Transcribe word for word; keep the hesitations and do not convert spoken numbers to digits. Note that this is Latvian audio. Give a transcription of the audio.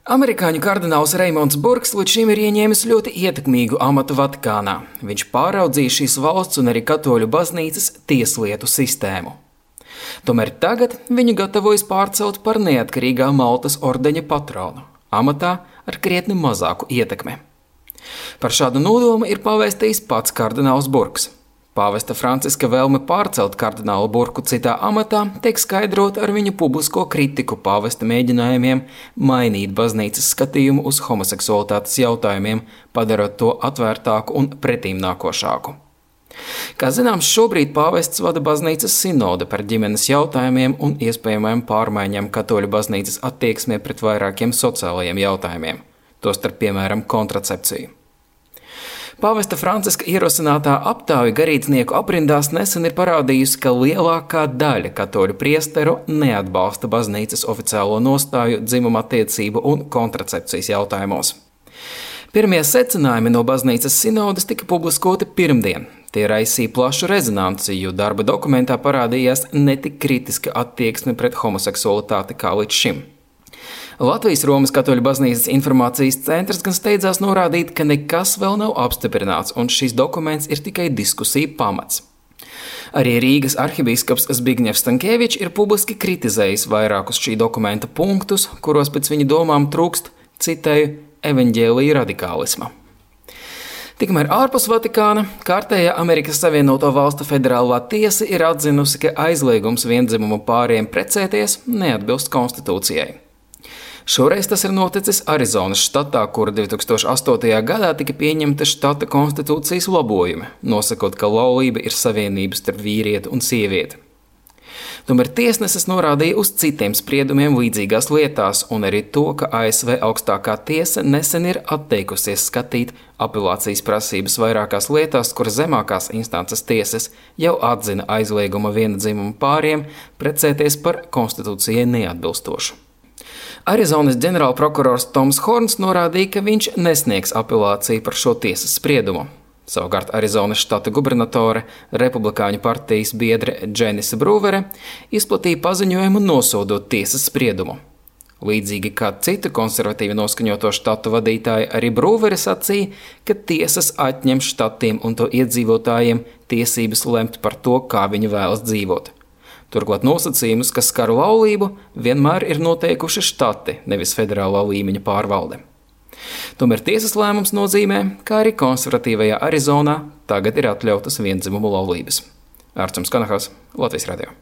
Amerikāņu kardināls Reimonds Burks līdz šim ir ieņēmis ļoti ietekmīgu amatu Vatikānā. Viņš pāraudzīja šīs valsts un arī katoļu baznīcas tieslietu sistēmu. Tomēr tagad viņu gatavojas pārcelt par neatkarīgā Maltas ordeņa patronu, amatā ar krietni mazāku ietekmi. Par šādu nodomu ir pavēstījis pats kardināls Burks. Pāvesta Franciska vēlme pārcelt kardinālu Burku citā amatā tiek skaidrota ar viņa publisko kritiku pāvesta mēģinājumiem mainīt baznīcas skatījumu uz homoseksualitātes jautājumiem, padarot to atvērtāku un pretīmnākošāku. Kā zināms, šobrīd pāvests vada baznīcas sinode par ģimenes jautājumiem un iespējamajām pārmaiņām katoļu baznīcas attieksmē pret vairākiem sociālajiem jautājumiem, tostarp piemēram kontracepciju. Pāvesta Franciska ierosinātā aptauja garīdznieku aprindās nesen ir parādījusi, ka lielākā daļa katoļu priesteru neatbalsta baznīcas oficiālo nostāju dzimuma attiecību un kontracepcijas jautājumos. Pirmie secinājumi no baznīcas sinodes tika publiskoti pirmdien. Tie raisīja plašu rezonanci, jo darba dokumentā parādījās netik kritiska attieksme pret homoseksualitāti kā līdz šim. Latvijas Romas katoļu baznīcas informācijas centrs gan steidzās norādīt, ka nekas vēl nav apstiprināts un šis dokuments ir tikai diskusija pamats. Arī Rīgas arhibīskaps Zbigņevs Stankēvičs ir publiski kritizējis vairākus šī dokumenta punktus, kuros pēc viņa domām trūkst, citēju, evaņģēlija radikālisma. Tikmēr ārpus Vatikāna kārtējā Amerikas Savienoto Valstu federālā tiesa ir atzinusi, ka aizliegums viendzimumu pāriem precēties neatbilst konstitūcijai. Šoreiz tas ir noticis Arizonas štatā, kura divi tūkstoši astotajā gadā tika pieņemta štata konstitūcijas labojumi, nosakot, ka laulība ir savienība starp vīrieti un sievieti. Tomēr tiesneses norādīja uz citiem spriedumiem līdzīgās lietās un arī to, ka A S V augstākā tiesa nesen ir atteikusies skatīt apelācijas prasības vairākās lietās, kur zemākās instances tiesas jau atzina aizlieguma viena dzimuma pāriem precēties par konstitūcijai neatbilstošu. Arizonas ģenerālprokurors Toms Horns norādīja, ka viņš nesniegs apelāciju par šo tiesas spriedumu. Savukārt Arizonas štata gubernatore, republikāņu partijas biedre Dženisa Brūvere izplatīja paziņojumu nosodot tiesas spriedumu. Līdzīgi kā citu konservatīvi noskaņoto štatu vadītāji, arī Brūvere sacīja, ka tiesas atņem štatiem un to iedzīvotājiem tiesības lemt par to, kā viņi vēlas dzīvot. Turklāt nosacījumus, kas skar laulību, vienmēr ir noteikuši štati, nevis federālā līmeņa pārvalde. Tomēr tiesas lēmums nozīmē, ka arī konservatīvajā Arizonā tagad ir atļautas viendzimumu laulības. Ārčuns Kanahas, Latvijas radio.